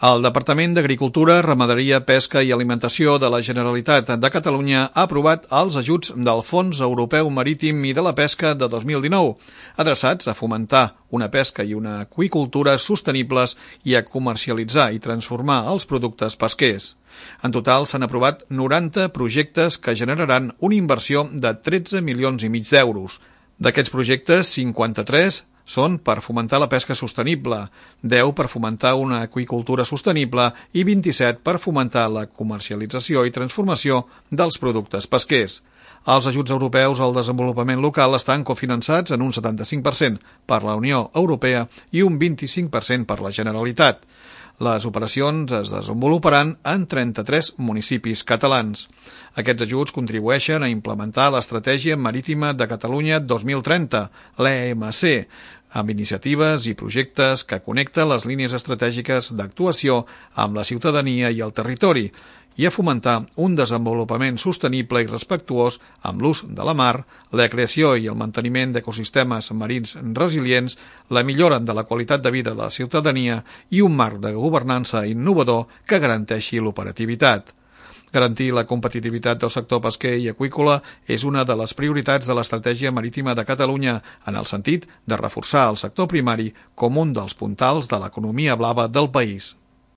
El Departament d'Agricultura, Ramaderia, Pesca i Alimentació de la Generalitat de Catalunya ha aprovat els ajuts del Fons Europeu Marítim i de la Pesca de 2019, adreçats a fomentar una pesca i una aqüicultura sostenibles i a comercialitzar i transformar els productes pesquers. En total s'han aprovat 90 projectes que generaran una inversió de 13,5 milions d'euros. D'aquests projectes, 53 són per fomentar la pesca sostenible, 10 per fomentar una aqüicultura sostenible i 27 per fomentar la comercialització i transformació dels productes pesquers. Els ajuts europeus al desenvolupament local estan cofinançats en un 75% per la Unió Europea i un 25% per la Generalitat. Les operacions es desenvoluparan en 33 municipis catalans. Aquests ajuts contribueixen a implementar l'Estratègia Marítima de Catalunya 2030, l'EMC, amb iniciatives i projectes que connecten les línies estratègiques d'actuació amb la ciutadania i el territori, i a fomentar un desenvolupament sostenible i respectuós amb l'ús de la mar, la creació i el manteniment d'ecosistemes marins resilients, la millora de la qualitat de vida de la ciutadania i un marc de governança innovador que garanteixi l'operativitat. Garantir la competitivitat del sector pesquer i aqüícola és una de les prioritats de l'Estratègia Marítima de Catalunya en el sentit de reforçar el sector primari com un dels puntals de l'economia blava del país.